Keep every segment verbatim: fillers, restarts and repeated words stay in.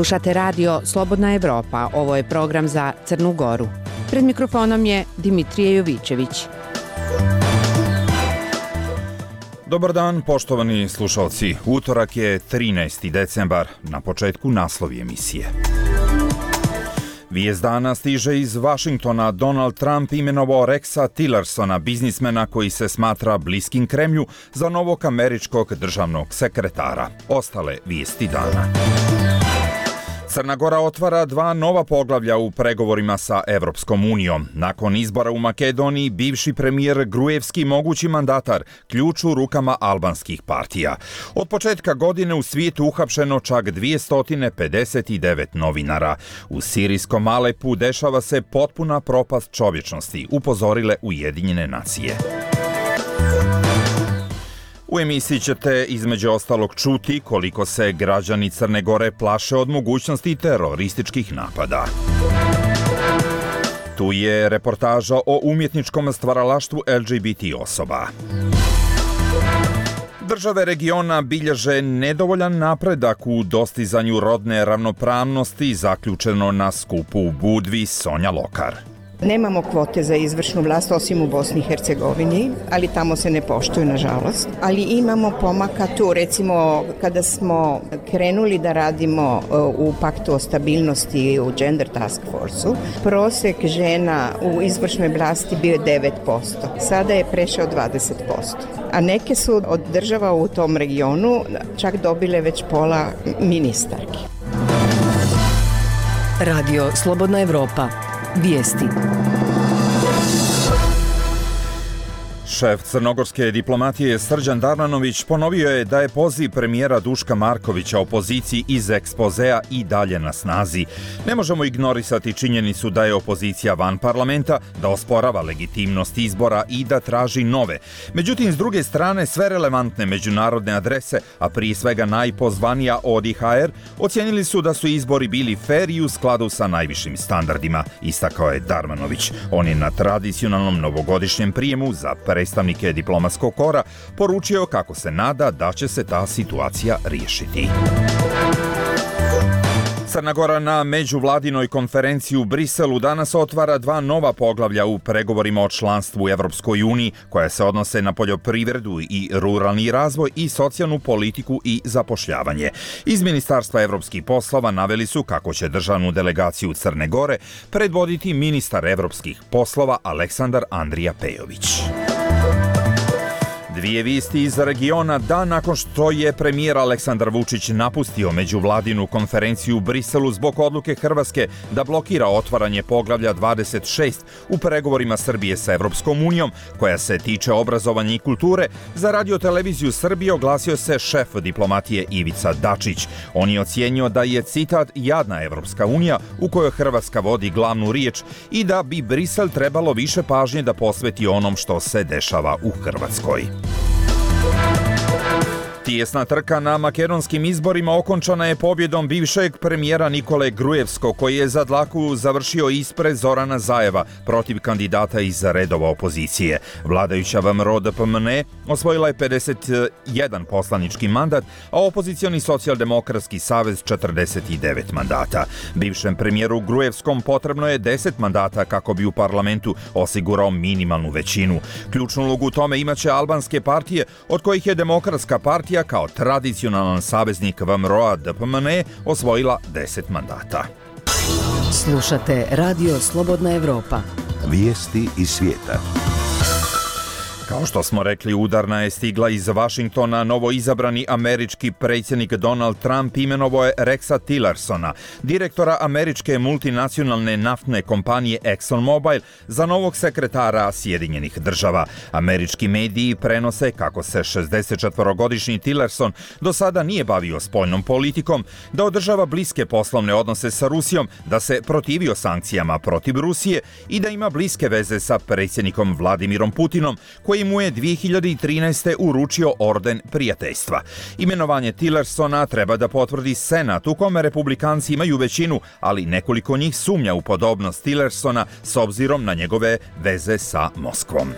Slušate radio Slobodna Evropa, ovo je program za Crnu Goru. Pred mikrofonom je Dimitrije Jovićević. Dobar dan, poštovani slušalci. Utorak je trinaesti decembar, na početku naslovi emisije. Vijest dana stiže iz Vašingtona. Donald Trump imenovao Rexa Tillersona, biznismena koji se smatra bliskim Kremlju, za novog američkog državnog sekretara. Ostale vijesti dana. Crna Gora otvara dva nova poglavlja u pregovorima sa Evropskom unijom. Nakon izbora u Makedoniji, bivši premijer Gruevski, mogući mandatar, ključ u rukama albanskih partija. Od početka godine u svijetu uhapšeno čak dvjesto pedeset devet novinara. U sirijskom Alepu dešava se potpuna propast čovječnosti, upozorile Ujedinjene nacije. U emisiji ćete između ostalog čuti koliko se građani Crne Gore plaše od mogućnosti terorističkih napada. Tu je reportaža o umjetničkom stvaralaštvu L G B T osoba. Države regiona bilježe nedovoljan napredak u dostizanju rodne ravnopravnosti, zaključeno na skupu u Budvi. Sonja Lokar. Nemamo kvote za izvršnu vlast osim u Bosni i Hercegovini, ali tamo se ne poštuju, nažalost. Ali imamo pomaka tu, recimo kada smo krenuli da radimo u Paktu o stabilnosti u Gender Task Force-u, prosek žena u izvršnoj vlasti bio je devet posto. Sada je prešao dvadeset posto. A neke su od država u tom regionu čak dobile već pola ministarki. Radio Slobodna Evropa. Vijesti. Šef crnogorske diplomatije Srđan Darmanović ponovio je da je poziv premijera Duška Markovića opoziciji iz ekspozea i dalje na snazi. Ne možemo ignorisati činjenicu da je opozicija van parlamenta, da osporava legitimnost izbora i da traži nove. Međutim, s druge strane, sve relevantne međunarodne adrese, a prije svega najpozvanija O D I H R, ocijenili su da su izbori bili fer i u skladu sa najvišim standardima, istakao je Darmanović. On je na tradicionalnom novogodišnjem prijemu za predstavnike diplomatskog kora poručio kako se nada da će se ta situacija riješiti. Crna Gora na međuvladinoj konferenciji u Briselu danas otvara dva nova poglavlja u pregovorima o članstvu u Evropskoj uniji, koja se odnose na poljoprivredu i ruralni razvoj i socijalnu politiku i zapošljavanje. Iz Ministarstva evropskih poslova naveli su kako će državnu delegaciju Crne Gore predvoditi ministar evropskih poslova Aleksandar Andrija Pejović. Dvije vijesti iz regiona dan nakon što je premijer Aleksandar Vučić napustio međuvladinu konferenciju u Briselu zbog odluke Hrvatske da blokira otvaranje poglavlja dvadeset šest u pregovorima Srbije sa Evropskom unijom, koja se tiče obrazovanja i kulture, za Radio-televiziju Srbije oglasio se šef diplomatije Ivica Dačić. On je ocijenio da je, citat, jadna Evropska unija u kojoj Hrvatska vodi glavnu riječ i da bi Brisel trebalo više pažnje da posveti onom što se dešava u Hrvatskoj. Tijesna trka na makedonskim izborima okončana je pobjedom bivšeg premijera Nikole Gruevskog, koji je za dlaku završio ispred Zorana Zajeva protiv kandidata iz redova opozicije. Vladajuća V M R O D P M N E osvojila je pedeset jedan poslanički mandat, a opozicioni socijaldemokratski savez četrdeset devet mandata. Bivšem premijeru Gruevskom potrebno je deset mandata kako bi u parlamentu osigurao minimalnu većinu. Ključnu ulogu u tome imaće albanske partije, od kojih je Demokratska partija kao tradicionalan saveznik V M R O-a D P M N E osvojila deset mandata. Slušate Radio Slobodna Evropa. Vijesti iz svijeta. Kao što smo rekli, udarna je stigla iz Vašingtona. Novo izabrani američki predsjednik Donald Trump imenovao je Rexa Tillersona, direktora američke multinacionalne naftne kompanije ExxonMobil, za novog sekretara Sjedinjenih država. Američki mediji prenose kako se šezdesetčetvorogodišnji Tillerson do sada nije bavio spoljnom politikom, da održava bliske poslovne odnose sa Rusijom, da se protivio sankcijama protiv Rusije i da ima bliske veze sa predsjednikom Vladimirom Putinom, koji mu je dvije hiljade trinaeste. uručio orden prijateljstva. Imenovanje Tillersona treba da potvrdi Senat, u kome republikanci imaju većinu, ali nekoliko njih sumnja u podobnost Tillersona s obzirom na njegove veze sa Moskvom.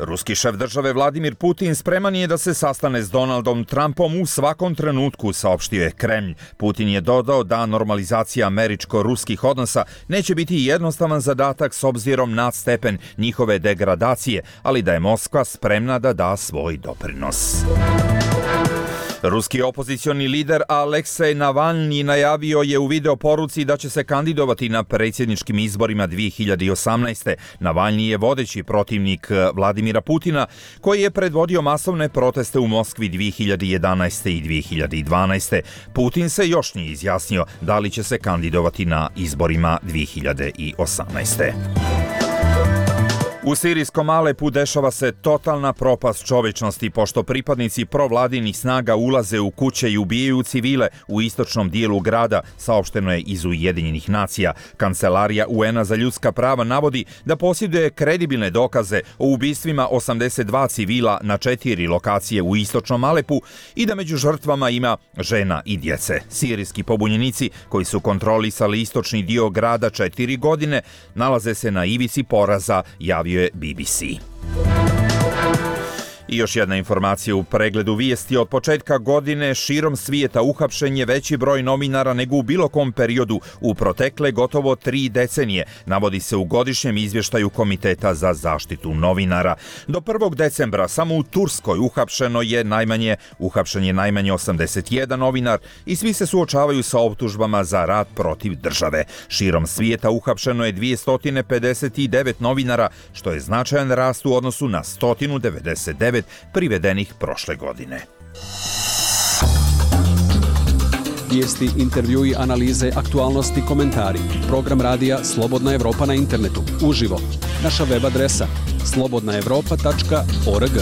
Ruski šef države Vladimir Putin spreman je da se sastane s Donaldom Trumpom u svakom trenutku, saopštio je Kremlj. Putin je dodao da normalizacija američko-ruskih odnosa neće biti jednostavan zadatak s obzirom na stepen njihove degradacije, ali da je Moskva spremna da da svoj doprinos. Ruski opozicioni lider Aleksej Navalni najavio je u video poruci da će se kandidovati na predsjedničkim izborima dvije hiljade osamnaeste. Navalni je vodeći protivnik Vladimira Putina, koji je predvodio masovne proteste u Moskvi dvije hiljade jedanaeste i dvije hiljade dvanaeste. Putin se još nije izjasnio da li će se kandidovati na izborima dvije hiljade osamnaeste. U sirijskom Alepu dešava se totalna propast čovečnosti pošto pripadnici provladinih snaga ulaze u kuće i ubijaju civile u istočnom dijelu grada, saopšteno je iz Ujedinjenih nacija. Kancelarija U N-a za ljudska prava navodi da posjeduje kredibilne dokaze o ubistvima osamdeset dva civila na četiri lokacije u istočnom Alepu i da među žrtvama ima žena i djece. Sirijski pobunjenici koji su kontrolisali istočni dio grada četiri godine nalaze se na ivici poraza, javio je B B C. I još jedna informacija u pregledu vijesti. Od početka godine širom svijeta uhapšen je veći broj novinara nego u bilo kom periodu u protekle gotovo tri decenije, navodi se u godišnjem izvještaju Komiteta za zaštitu novinara. Do prvog decembra samo u Turskoj uhapšeno je najmanje, uhapšen je najmanje osamdeset jedan novinar i svi se suočavaju sa optužbama za rad protiv države. Širom svijeta uhapšeno je dvjesto pedeset devet novinara, što je značajan rast u odnosu na sto devedeset devet privedenih prošle godine. Vijesti, intervjui, analize, aktualnosti, komentari. Program radija Slobodna Evropa na internetu. Uživo. Naša web adresa slobodna evropa tačka org.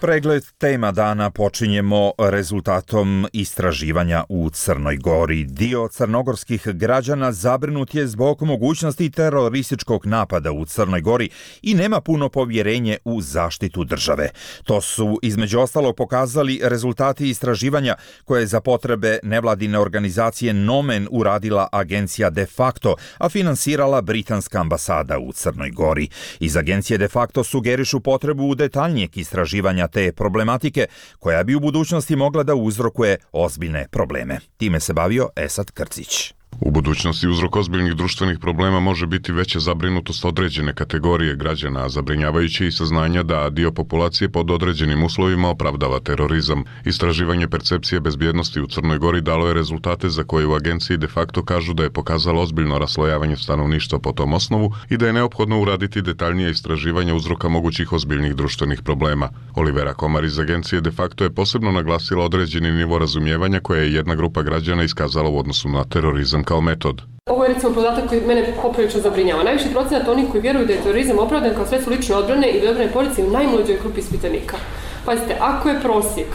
Pregled tema dana počinjemo rezultatom istraživanja u Crnoj Gori. Dio crnogorskih građana zabrinut je zbog mogućnosti terorističkog napada u Crnoj Gori i nema puno povjerenje u zaštitu države. To su između ostalog pokazali rezultati istraživanja koje je za potrebe nevladine organizacije Nomen uradila agencija De Facto, a finansirala britanska ambasada u Crnoj Gori. Iz agencije De Facto sugerišu potrebu detaljnijeg istraživanja te problematike koja bi u budućnosti mogla da uzrokuje ozbiljne probleme. Time se bavio Esad Krcić. U budućnosti uzrok ozbiljnih društvenih problema može biti veća zabrinutost određene kategorije građana, a zabrinjavajuće i saznanja da dio populacije pod određenim uslovima opravdava terorizam. Istraživanje percepcije bezbjednosti u Crnoj Gori dalo je rezultate za koje u agenciji De Facto kažu da je pokazalo ozbiljno raslojavanje stanovništva po tom osnovu i da je neophodno uraditi detaljnije istraživanje uzroka mogućih ozbiljnih društvenih problema. Olivera Komar iz agencije De Facto je posebno naglasila određeni nivo razumijevanja koje je jedna grupa građana iskazala u odnosu na terorizam kao metod. Ovo je recimo podatak koji mene poprilično zabrinjava. Najviši procenat onih koji vjeruju da je terorizam opravdan kao sredstvo lične odbrane i odbrane policije u najmlađoj grupi ispitanika. Pazite, ako je prosjek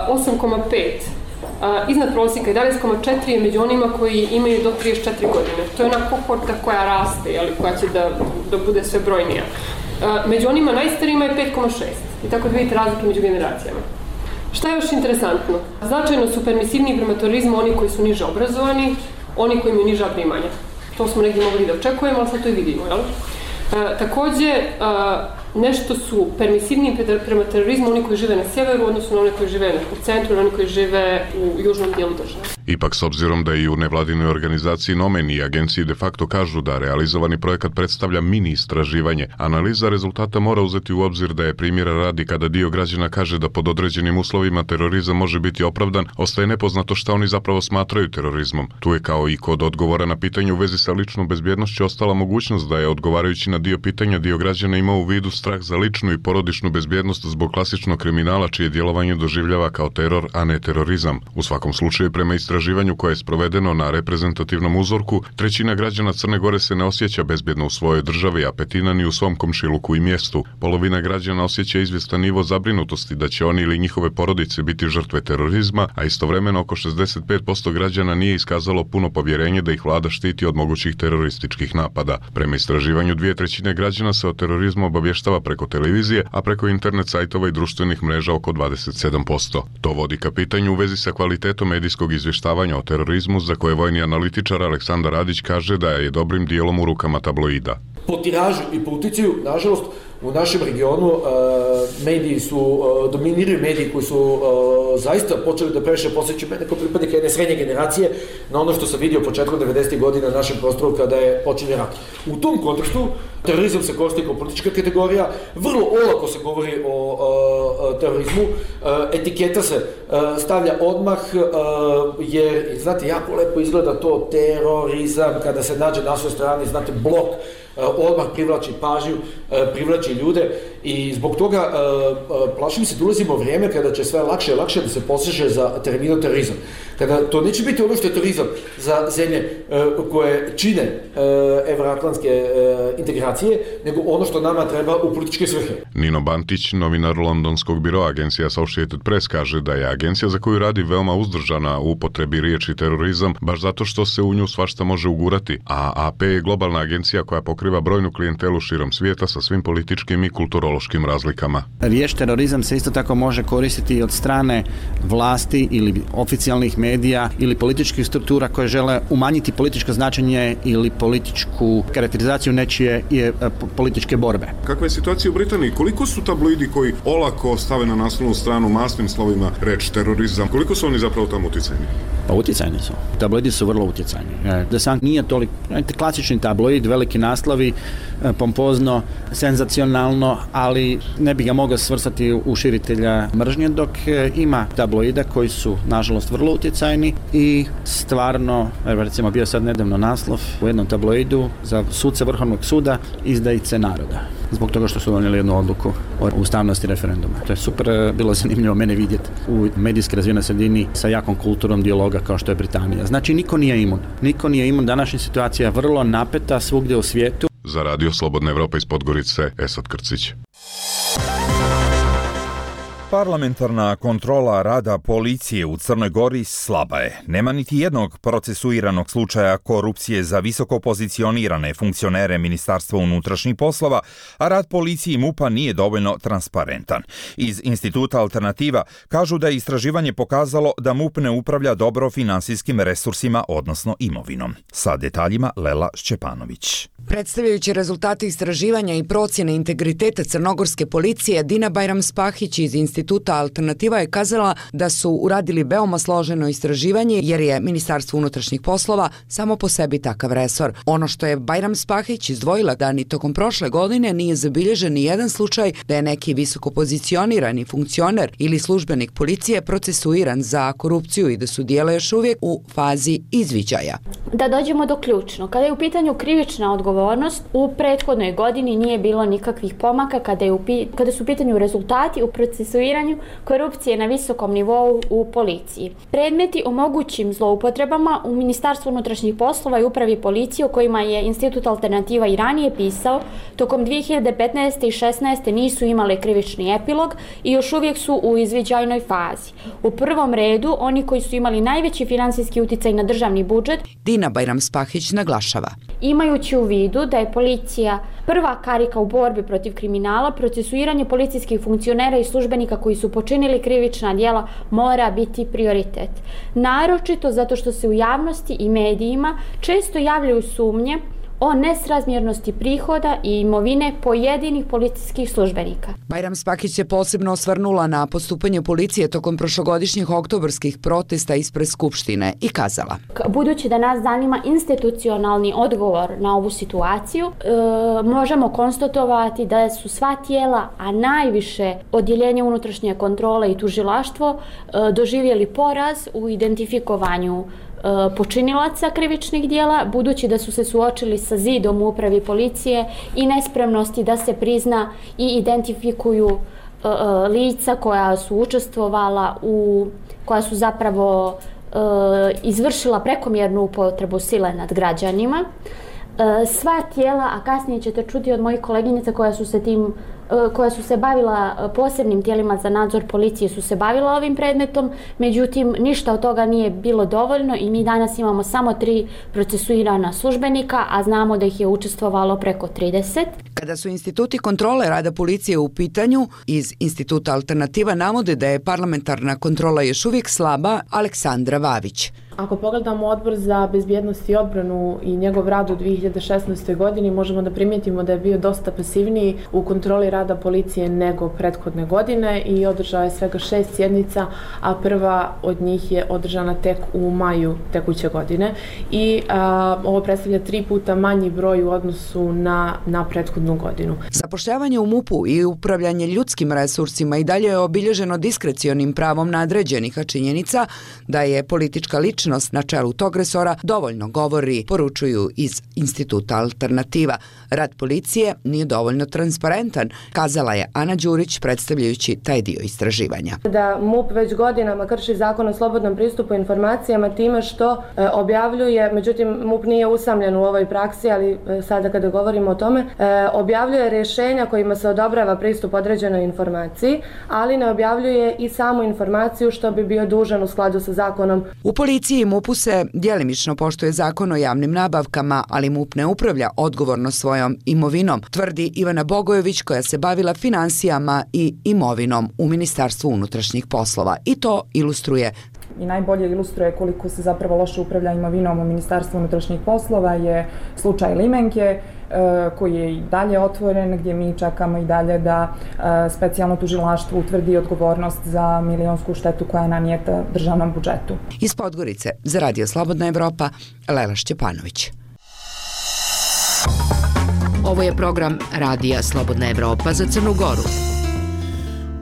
osam zarez pet, iznad prosjeka jedanaest zarez četiri je među onima koji imaju do trideset četiri godine. To je ona kohorta koja raste, jeli, koja će da, da bude sve brojnija. Među onima najstarijima je pet zarez šest. I tako da vidite razlike među generacijama. Šta je još interesantno? Značajno su permisivniji prema terorizmu oni koji su niže obrazovani, oni koji imaju niža primanja. To smo negdje mogli da očekujemo, ali sad to i vidimo, jel? E, također, e, nešto su permisivniji prema terorizmu oni koji žive na sjeveru, odnosno oni koji žive u centru, oni koji žive u južnom dijelu države. Ipak, s obzirom da i u nevladinoj organizaciji Nomen i agenciji De Facto kažu da realizovani projekat predstavlja mini istraživanje, analiza rezultata mora uzeti u obzir da je primjera radi kada dio građana kaže da pod određenim uslovima terorizam može biti opravdan, ostaje nepoznato šta oni zapravo smatraju terorizmom. Tu je kao i kod odgovora na pitanje u vezi sa ličnom bezbjednošću ostala mogućnost da je odgovarajući na dio pitanja dio građana ima u vidu strah za ličnu i porodičnu bezbjednost zbog klasičnog kriminala čije djelovanje doživljava kao teror, a ne terorizam. U svakom slučaju, prema istraživanju koje je sprovedeno na reprezentativnom uzorku, trećina građana Crne Gore se ne osjeća bezbjedno u svojoj državi, a petina ni u svom komšiluku i mjestu. Polovina građana osjeća izvjestan nivo zabrinutosti da će oni ili njihove porodice biti žrtve terorizma, a istovremeno oko šezdeset pet posto građana nije iskazalo puno povjerenje da ih vlada štiti od mogućih terorističkih napada. Prema istraživanju dvije trećine građana se o terorizmu obavještava izvještava preko televizije, a preko internet sajtova i društvenih mreža oko dvadeset sedam posto. To vodi ka pitanju u vezi sa kvalitetom medijskog izvještavanja o terorizmu, za koje vojni analitičar Aleksandar Radić kaže da je dobrim dijelom u rukama tabloida. Po tiražu i po uticaju, nažalost, u našem regionu uh, mediji su, uh, dominiraju mediji koji su uh, zaista počeli da previše posjećaju mene kao pripadnika jedne srednje generacije na ono što sam vidio početkom devedesetih godina na našem prostoru kada je počinje rat. U tom kontekstu terorizam se koristi kao politička kategorija, vrlo olako se govori o uh, terorizmu, uh, etiketa se uh, stavlja odmah uh, jer, znate, jako lepo izgleda to terorizam kada se nađe na svoj strani, znate, blok odmah privlači pažnju, privlači ljude i zbog toga plašim se da ulazimo vrijeme kada će sve lakše i lakše da se poseže za terminom terorizam. Kada to neće biti ono što je terorizam za zemlje koje čine evroatlantske integracije, nego ono što nama treba u političke svrhe. Nino Bantić, novinar londonskog biroa agencije Associated Press, kaže da je agencija za koju radi veoma uzdržana u upotrebi riječi terorizam, baš zato što se u nju svašta može ugurati, a A P je globalna agencija koja pokriva brojnu klijentelu širom svijeta sa svim političkim i kulturološkim razlikama. Riječ terorizam se isto tako može koristiti od strane vlasti ili oficijalnih medija ili političkih struktura koje žele umanjiti političko značenje ili političku karakterizaciju nečije je političke borbe. Kakva je situacija u Britaniji? Koliko su tabloidi koji olako stave na naslovnu stranu masnim slovima reč terorizam? Koliko su oni zapravo tamo utjecajni? Pa utjecajni su. Tabloidi su vrlo utjecajni. The Sun nije toliko, klasični tabloid, veliki naslovi, pompozno, senzacionalno, ali ne bi ga mogao svrstati u širitelja mržnje, dok ima tabloida koji su, nažalost, vrlo utjecajni i stvarno, recimo bio sad nedavno naslov u jednom tabloidu za suce Vrhovnog suda, izdajice naroda, zbog toga što su donijeli jednu odluku o ustavnosti referenduma. To je super bilo zanimljivo mene vidjeti u medijski razvijenoj sredini sa jakom kulturom dijaloga kao što je Britanija. Znači, niko nije imun. Niko nije imun. Današnja situacija je vrlo napeta svugdje u svijetu. Za Radio Slobodna Evropa iz Podgorice, Esad Krcić. Parlamentarna kontrola rada policije u Crnoj Gori slaba je. Nema niti jednog procesuiranog slučaja korupcije za visoko pozicionirane funkcionere Ministarstva unutrašnjih poslova, a rad policije i MUP-a nije dovoljno transparentan. Iz Instituta Alternativa kažu da je istraživanje pokazalo da MUP ne upravlja dobro finansijskim resursima, odnosno imovinom. Sa detaljima Lela Šćepanović. Predstavljajući rezultate istraživanja i procjene integriteta crnogorske policije, Dina Bajram-Spahić iz Instituta Alternativa je kazala da su uradili veoma složeno istraživanje jer je Ministarstvo unutrašnjih poslova samo po sebi takav resor. Ono što je Bajram-Spahić izdvojila da ni tokom prošle godine nije zabilježen ni jedan slučaj da je neki visoko pozicionirani funkcioner ili službenik policije procesuiran za korupciju i da su dijela još uvijek u fazi izviđaja. Da dođemo do ključno. Kada je u pitanju krivična odgovornost, u prethodnoj godini nije bilo nikakvih pomaka kada, je u, kada su u pitanju rezultati u procesuiranju korupcije na visokom nivou u policiji. Predmeti o mogućim zloupotrebama u Ministarstvu unutrašnjih poslova i upravi policije o kojima je Institut Alternativa i ranije pisao, tokom dvije hiljade petnaeste i šesnaeste nisu imale krivični epilog i još uvijek su u izviđajnoj fazi. U prvom redu, oni koji su imali najveći finansijski uticaj na državni budžet, Dina Bajram-Spahić naglašava. Imajući u vidu da je policija prva karika u borbi protiv kriminala, procesuiranje policijskih funkcionera i službenika koji su počinili krivična djela mora biti prioritet. Naročito zato što se u javnosti i medijima često javljaju sumnje o nesrazmjernosti prihoda i imovine pojedinih policijskih službenika. Bajram-Spahić se posebno osvrnula na postupanje policije tokom prošlogodišnjih oktobarskih protesta ispred Skupštine i kazala. Budući da nas zanima institucionalni odgovor na ovu situaciju, e, možemo konstatovati da su sva tijela, a najviše odjeljenje unutrašnje kontrole i tužilaštvo, e, doživjeli poraz u identifikovanju počinilaca krivičnih djela, budući da su se suočili sa zidom u upravi policije i nespremnosti da se prizna i identifikuju uh, lica koja su učestvovala u, koja su zapravo uh, izvršila prekomjernu upotrebu sile nad građanima. Uh, sva tijela, a kasnije ćete čuti od mojih koleginica koja su se tim koja su se bavila posebnim tijelima za nadzor policije su se bavila ovim predmetom, međutim ništa od toga nije bilo dovoljno i mi danas imamo samo tri procesuirana službenika, a znamo da ih je učestvovalo preko trideset. Kada su instituti kontrole rada policije u pitanju, iz Instituta Alternativa navode da je parlamentarna kontrola još uvijek slaba. Aleksandra Vavić. Ako pogledamo Odbor za bezbjednost i odbranu i njegov rad u dvije hiljade šesnaestoj. godini, možemo da primijetimo da je bio dosta pasivniji u kontroli rada policije nego prethodne godine i održao je svega šest sjednica, a prva od njih je održana tek u maju tekuće godine. I a, ovo predstavlja tri puta manji broj u odnosu na, na prethodnu godinu. Zapošljavanje u MUP-u i upravljanje ljudskim resursima i dalje je obilježeno diskrecionim pravom nadređenih, a činjenica da je politička ličnost na čelu tog resora dovoljno govori, poručuju iz Instituta Alternativa. Rad policije nije dovoljno transparentan, kazala je Ana Đurić predstavljajući taj dio istraživanja. Da MUP već godinama krši zakon o slobodnom pristupu informacijama time što e, objavljuje, međutim MUP nije usamljen u ovoj praksi, ali e, sada kada govorimo o tome, e, objavljuje rješenja kojima se odobrava pristup određenoj informaciji, ali ne objavljuje i samu informaciju što bi bio dužan u skladu sa zakonom. U policiji i MUP-u se djelimično poštuje zakon o javnim nabavkama, ali MUP ne upravlja odgovorno svojom imovinom, tvrdi Ivana Bogojević koja se bavila financijama i imovinom u Ministarstvu unutrašnjih poslova. I to ilustruje. I najbolje ilustruje koliko se zapravo loše upravlja imovinom u Ministarstvu unutrašnjih poslova je slučaj Limenke, koji je i dalje otvoren, gdje mi čekamo i dalje da specijalno tužilaštvo utvrdi odgovornost za milionsku štetu koja je nanijeta državnom budžetu. Iz Podgorice za Radio Slobodna Evropa, Lela Šćepanović. Ovo je program Radija Slobodna Evropa za Crnu Goru.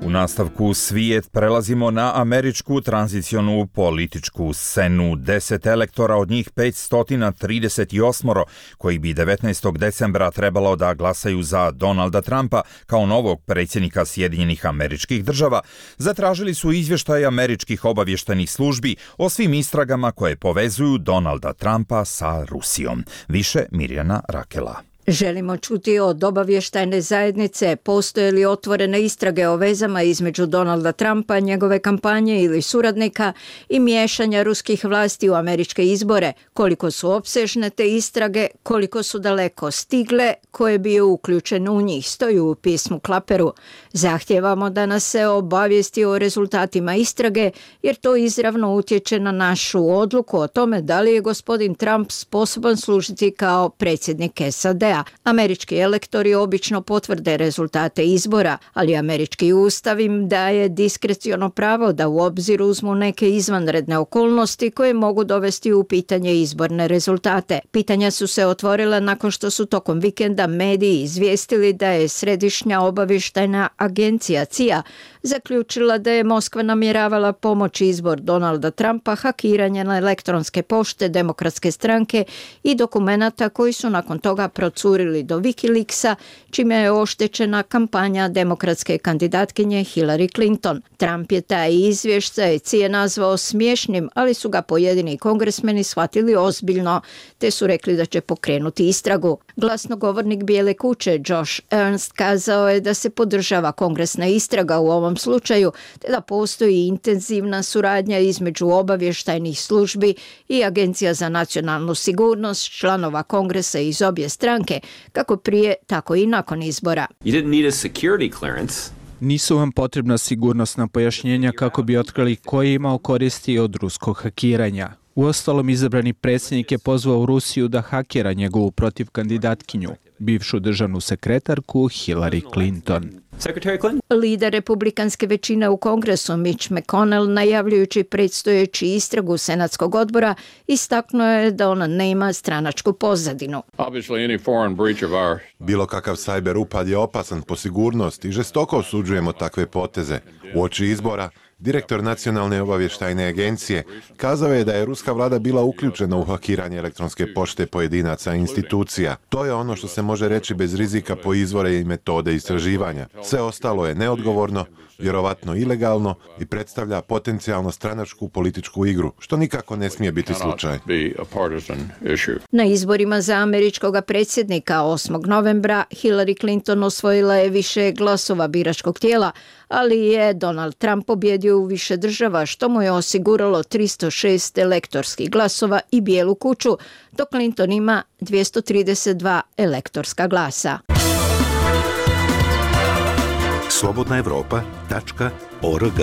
U nastavku svijet prelazimo na američku tranzicionu političku scenu. Deset elektora, od njih petsto trideset osam koji bi devetnaestog decembra trebalo da glasaju za Donalda Trumpa kao novog predsjednika Sjedinjenih Američkih Država, zatražili su izvještaj američkih obavještajnih službi o svim istragama koje povezuju Donalda Trumpa sa Rusijom. Više Mirjana Rakela. Želimo čuti od obavještajne zajednice postoje li otvorene istrage o vezama između Donalda Trumpa, njegove kampanje ili suradnika i miješanja ruskih vlasti u američke izbore, koliko su opsežne te istrage, koliko su daleko stigle, ko je bio uključen u njih, stoji u pismu Klaperu. Zahtijevamo da nas se obavijesti o rezultatima istrage jer to izravno utječe na našu odluku o tome da li je gospodin Trump sposoban služiti kao predsjednik S A D-a. Američki elektori obično potvrde rezultate izbora, ali američki ustav im daje diskreciono pravo da u obzir uzmu neke izvanredne okolnosti koje mogu dovesti u pitanje izborne rezultate. Pitanja su se otvorila nakon što su tokom vikenda mediji izvijestili da je Središnja obavještajna agencija C I A zaključila da je Moskva namjeravala pomoći izbor Donalda Trumpa hakiranje na elektronske pošte Demokratske stranke i dokumenata koji su nakon toga procurili do Wikileaksa, čime je oštećena kampanja demokratske kandidatkinje Hillary Clinton. Trump je taj izvještaj C I A nazvao smiješnim, ali su ga pojedini kongresmeni shvatili ozbiljno, te su rekli da će pokrenuti istragu. Glasnogovornik Bijele kuće Josh Ernst kazao je da se podržava kongresna istraga u ovom slučaju, te da postoji intenzivna suradnja između obavještajnih službi i Agencija za nacionalnu sigurnost, članova kongresa iz obje stranke, kako prije, tako i nakon izbora. You didn't need a security clearance. Nisu vam potrebna sigurnosna pojašnjenja kako bi otkrili ko je imao koristi od ruskog hakiranja. Uostalom, izabrani predsjednik je pozvao Rusiju da hakira njegovu protiv kandidatkinju, bivšu državnu sekretarku Hillary Clinton. Lider republikanske većine u Kongresu Mitch McConnell, najavljujući predstojeći istragu Senatskog odbora, istaknuo je da ona nema stranačku pozadinu. Bilo kakav sajber upad je opasan po sigurnost i žestoko osuđujemo takve poteze. Uoči izbora, direktor Nacionalne obavještajne agencije kazao je da je ruska vlada bila uključena u hakiranje elektronske pošte pojedinaca i institucija. To je ono što se može reći bez rizika po izvore i metode istraživanja. Sve ostalo je neodgovorno, vjerovatno ilegalno i predstavlja potencijalno stranačku političku igru, što nikako ne smije biti slučaj. Na izborima za američkog predsjednika osmog novembra Hillary Clinton osvojila je više glasova biračkog tijela, ali je Donald Trump pobjedio u više država, što mu je osiguralo tristo šest elektorskih glasova i Bijelu kuću, dok Clinton ima dvjesto trideset dva elektorska glasa. slobodna evropa tačka org.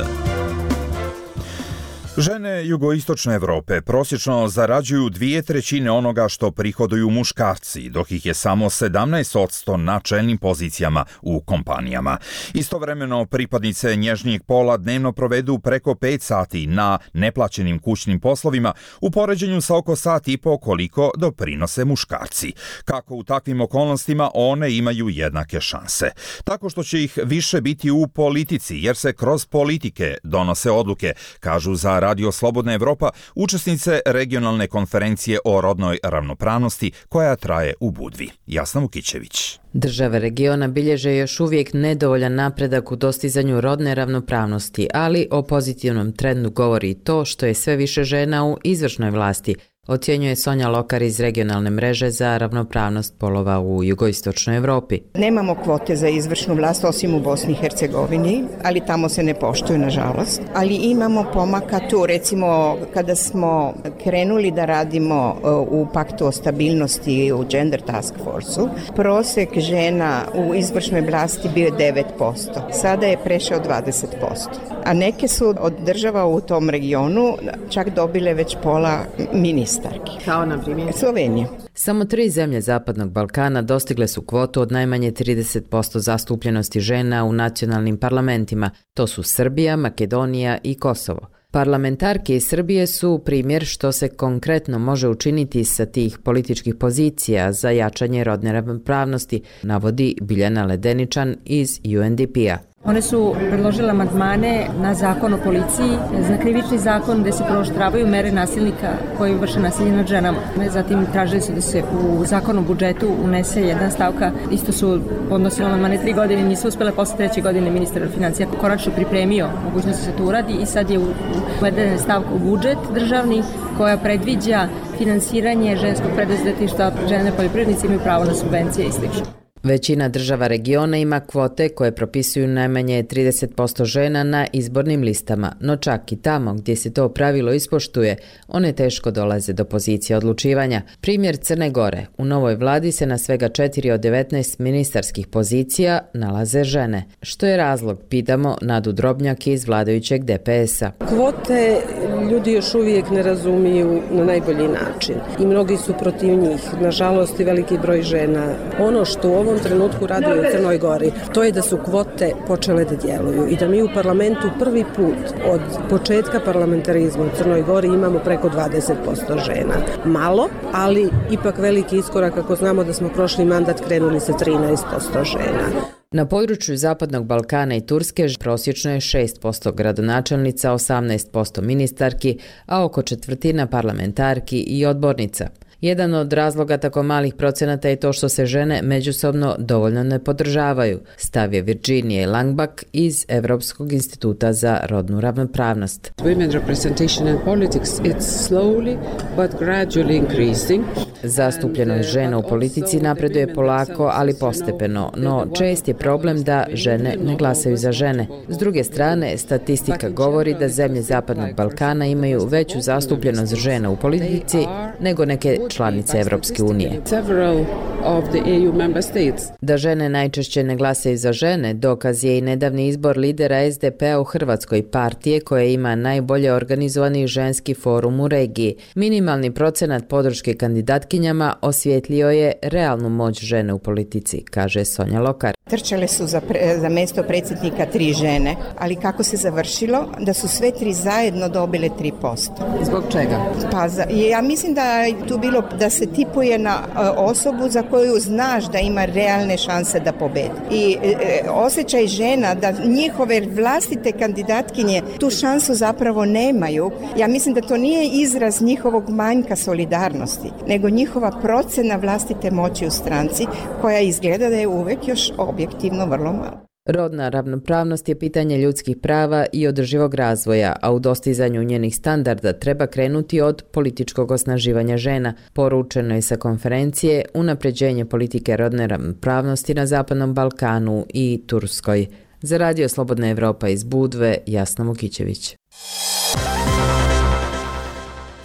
Žene jugoistočne Evrope prosječno zarađuju dvije trećine onoga što prihoduju muškarci, dok ih je samo sedamnaest posto na čelnim pozicijama u kompanijama. Istovremeno, pripadnice nježnijeg pola dnevno provedu preko pet sati na neplaćenim kućnim poslovima u poređenju sa oko sat i po koliko doprinose muškarci. Kako u takvim okolnostima one imaju jednake šanse? Tako što će ih više biti u politici, jer se kroz politike donose odluke, kažu za Radio Slobodna Evropa učesnice regionalne konferencije o rodnoj ravnopravnosti koja traje u Budvi. Jasna Vukićević. Države regiona bilježe još uvijek nedovoljan napredak u dostizanju rodne ravnopravnosti, ali o pozitivnom trendu govori i to što je sve više žena u izvršnoj vlasti, ocjenjuje Sonja Lokar iz regionalne mreže za ravnopravnost polova u jugoistočnoj Evropi. Nemamo kvote za izvršnu vlast osim u Bosni i Hercegovini, ali tamo se ne poštuju, nažalost. Ali imamo pomaka tu, recimo kada smo krenuli da radimo u paktu o stabilnosti u Gender Task Force-u, prosek žena u izvršnoj vlasti bio je devet posto. Sada je prešao dvadeset posto. A neke su od država u tom regionu čak dobile već pola ministra. Kao na primjer Slovenija. Samo tri zemlje Zapadnog Balkana dostigle su kvotu od najmanje trideset posto zastupljenosti žena u nacionalnim parlamentima. To su Srbija, Makedonija i Kosovo. Parlamentarke iz Srbije su primjer što se konkretno može učiniti sa tih političkih pozicija za jačanje rodne ravnopravnosti, navodi Biljana Ledeničan iz U N D P-a. One su predložile amandmane na zakon o policiji, na krivični zakon gde se prooštravaju mere nasilnika koji vrše nasilje nad ženama. Zatim tražili su da se u zakon o budžetu unese jedna stavka, isto su podnosili amandmane tri godine, nisu uspjele posle treće godine ministar financija konačno pripremio mogućnost da se to uradi i sad je uvedena stavka u budžet državni koja predviđa finansiranje ženskog preduzetništva, žene poljoprivrednice imaju pravo na subvencije i slično. Većina država regiona ima kvote koje propisuju najmanje trideset posto žena na izbornim listama, no čak i tamo gdje se to pravilo ispoštuje, one teško dolaze do pozicije odlučivanja. Primjer Crne Gore. U novoj vladi se na svega četiri od devetnaest ministarskih pozicija nalaze žene. Što je razlog, pitamo Nadu Drobnjak iz vladajućeg D P S-a. Kvote ljudi još uvijek ne razumiju na najbolji način i mnogi su protiv njih. Nažalost i veliki broj žena. Ono što u ovom trenutku radi u Crnoj Gori, to je da su kvote počele da djeluju i da mi u parlamentu prvi put od početka parlamentarizma u Crnoj Gori imamo preko dvadeset posto žena. Malo, ali ipak veliki iskorak ako znamo da smo prošli mandat krenuli sa trinaest posto žena. Na području Zapadnog Balkana i Turske prosječno je šest posto gradonačelnica, osamnaest posto ministarki, a oko četvrtina parlamentarki i odbornica. Jedan od razloga tako malih procenata je to što se žene međusobno dovoljno ne podržavaju, stav je Virginije Langbak iz Evropskog instituta za rodnu ravnopravnost. Women representation in politics, it's slowly but gradually increasing. Zastupljenost žena u politici napreduje polako, ali postepeno, no čest je problem da žene ne glasaju za žene. S druge strane, statistika govori da zemlje Zapadnog Balkana imaju veću zastupljenost žena u politici nego neke članice Evropske unije. Da žene najčešće ne glasaju za žene, dokaz je i nedavni izbor lidera S D P-a u Hrvatskoj, partije koja ima najbolje organizovani ženski forum u regiji. Minimalni procenat podrške kandidatkinjama osvjetlio je realnu moć žene u politici, kaže Sonja Lokar. Trčale su za, pre, za mesto predsjednika tri žene, ali kako se završilo? Da su sve tri zajedno dobile tri posto. Zbog čega? Pa za, ja mislim da je tu bilo da se tipuje na osobu za koju znaš da ima realne šanse da pobedi. I e, osjećaj žena da njihove vlastite kandidatkinje tu šansu zapravo nemaju. Ja mislim da to nije izraz njihovog manjka solidarnosti, nego njihova procena vlastite moći u stranci koja izgleda da je uvek još objektivno vrlo malo. Rodna ravnopravnost je pitanje ljudskih prava i održivog razvoja, a u dostizanju njenih standarda treba krenuti od političkog osnaživanja žena, poručeno je sa konferencije Unapređenje politike rodne ravnopravnosti na Zapadnom Balkanu i Turskoj. Za Radio Slobodna Evropa iz Budve, Jasna Vukićević.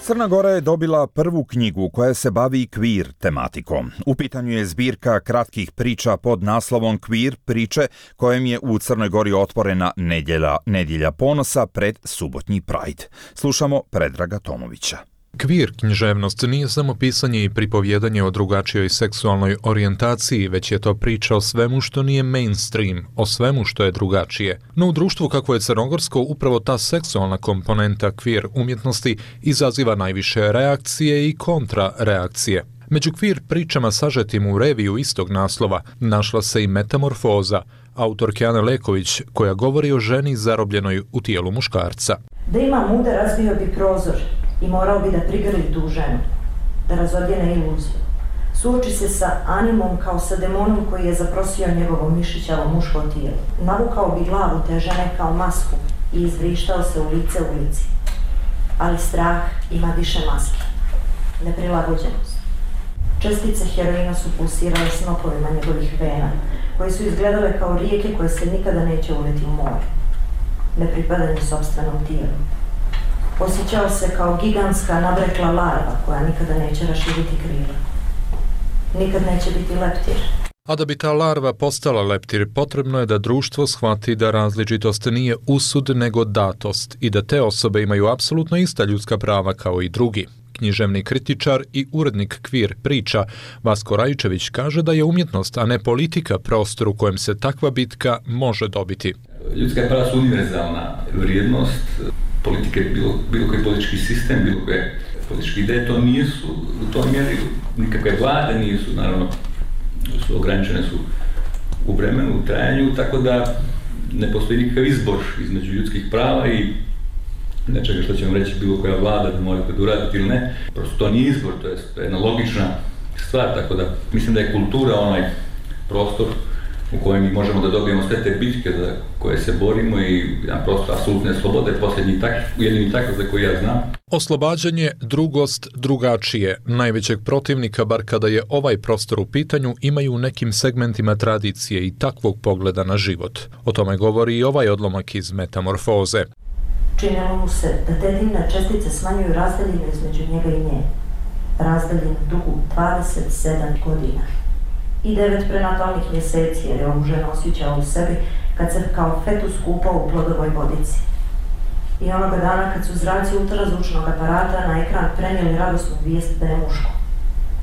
Crna Gora je dobila prvu knjigu koja se bavi queer tematikom. U pitanju je zbirka kratkih priča pod naslovom Queer priče, kojem je u Crnoj Gori otvorena nedjelja, nedjelja ponosa pred subotnji Pride. Slušamo Predraga Tomovića. Queer književnost nije samo pisanje i pripovjedanje o drugačijoj seksualnoj orijentaciji, već je to priča o svemu što nije mainstream, o svemu što je drugačije. No u društvu kakvo je crnogorsko, upravo ta seksualna komponenta queer umjetnosti izaziva najviše reakcije i kontrareakcije. Među queer pričama sažetim u reviju istog naslova našla se i Metamorfoza, autorke Ane Leković, koja govori o ženi zarobljenoj u tijelu muškarca. Da ima muda razbio bi prozor i morao bi da prigrli tu ženu, da razodjene iluziju. Suoči se sa animom kao sa demonom koji je zaprosio njegovo mišićavo muško tijelo. Navukao bi glavu te žene kao masku i izvrištao se u lice ulici. Ali strah ima više maski. Neprilagođenost. Čestice heroina su pulsirale snopovima njegovih vena, koje su izgledale kao rijeke koje se nikada neće uleti u more. Nepripadanje sopstvenom tijelu. Osjećao se kao gigantska nabrekla larva koja nikada neće raširiti krila. Nikad neće biti leptir. A da bi ta larva postala leptir, potrebno je da društvo shvati da različitost nije usud nego datost i da te osobe imaju apsolutno ista ljudska prava kao i drugi. Književni kritičar i urednik queer priča Vasko Rajčević kaže da je umjetnost, a ne politika, prostor u kojem se takva bitka može dobiti. Ljudska prava su univerzalna vrijednost. Politike, bilo, bilo koji politički sistem, bilo koje političke ideje, to nisu u toj mjeri, nikakve vlade nisu, naravno, su ograničene su u vremenu, u trajanju, tako da ne postoji nikakav izbor između ljudskih prava i nečega što će vam reći bilo koja vlada da morate da uraditi ili ne. Prosto to nije izbor, to je, to je jedna logična stvar, tako da mislim da je kultura onaj prostor u kojem mi možemo da dobijemo sve te bitke za koje se borimo i jedan prostor apsolutne slobode, posljednji tak, jedini takav za koji ja znam. Oslobađanje, drugost, drugačije, najvećeg protivnika, bar kada je ovaj prostor u pitanju, imaju u nekim segmentima tradicije i takvog pogleda na život. O tome govori i ovaj odlomak iz Metamorfoze. Činilo mu se da te dimne čestice smanjuju razdaljinu između njega i nje. Razdaljinu dugu dvadeset sedam godina. I devet prenatalnih mjeseci, jer je ovu ženu osjećao u sebi kad se kao fetus kupao u plodovoj vodici. I onoga dana kad su zraci ultrazvučnog aparata na ekran prenijeli radosnu vijest da je muško.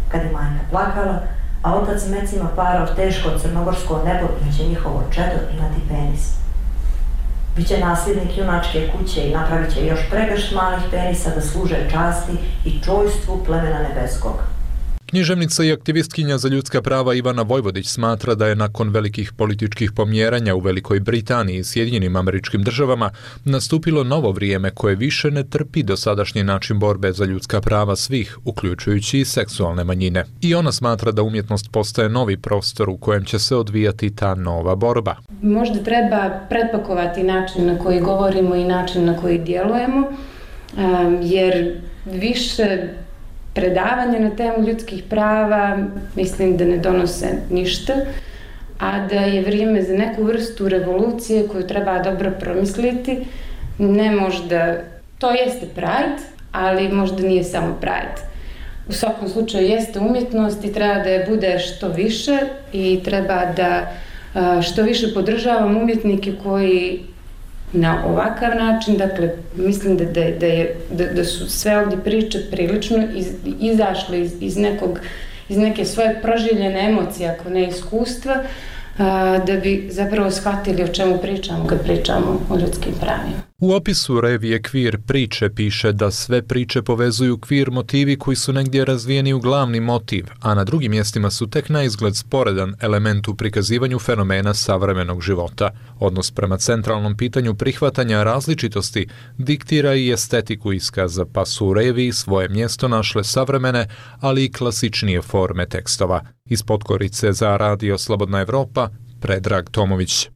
Kad je majka plakala, a otac mecima parao teško crnogorsko nebo i će njihovo čedo imati penis. Biće nasljednik junačke kuće i napravit će još pregršt malih penisa da služe časti i čojstvu plemena nebeskog. Književnica i aktivistkinja za ljudska prava Ivana Vojvodić smatra da je nakon velikih političkih pomjeranja u Velikoj Britaniji i Sjedinjenim Američkim Državama nastupilo novo vrijeme koje više ne trpi dosadašnji način borbe za ljudska prava svih, uključujući i seksualne manjine. I ona smatra da umjetnost postaje novi prostor u kojem će se odvijati ta nova borba. Možda treba pretpakovati način na koji govorimo i način na koji djelujemo, jer više predavanja na temu ljudskih prava mislim da ne donose ništa, a da je vrijeme za neku vrstu revolucije koju treba dobro promisliti. Ne možda, to jeste Pride, ali možda nije samo Pride. U svakom slučaju jeste umjetnost i treba da je bude što više i treba da što više podržavamo umjetnike koji na ovakav način, dakle, mislim da, da, da, je, da, da su sve ovdje priče prilično iz, izašle iz, iz, nekog, iz neke svoje proživljene emocije, ako ne iskustva, a, da bi zapravo shvatili o čemu pričamo kad pričamo o ljudskim pravima. U opisu revije Queer priče piše da sve priče povezuju queer motivi koji su negdje razvijeni u glavni motiv, a na drugim mjestima su tek na izgled sporedan element u prikazivanju fenomena savremenog života. Odnos prema centralnom pitanju prihvatanja različitosti diktira i estetiku iskaza, pa su u reviji svoje mjesto našle savremene, ali i klasičnije forme tekstova. Iz Podgorice za Radio Slobodna Evropa, Predrag Tomović.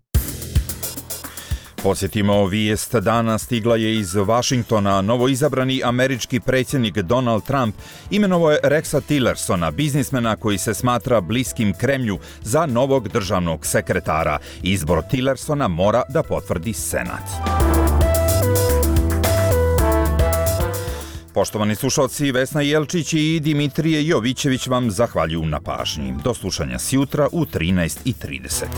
Posjetimo vijest dana, stigla je iz Vašingtona. Novoizabrani američki predsjednik Donald Trump imenovao je Rexa Tillersona, biznismena koji se smatra bliskim Kremlju, za novog državnog sekretara. Izbor Tillersona mora da potvrdi Senat. Poštovani slušalci, Vesna Jelčić i Dimitrije Jovićević vam zahvaljuju na pažnji. Do slušanja sjutra u trinaest i trideset.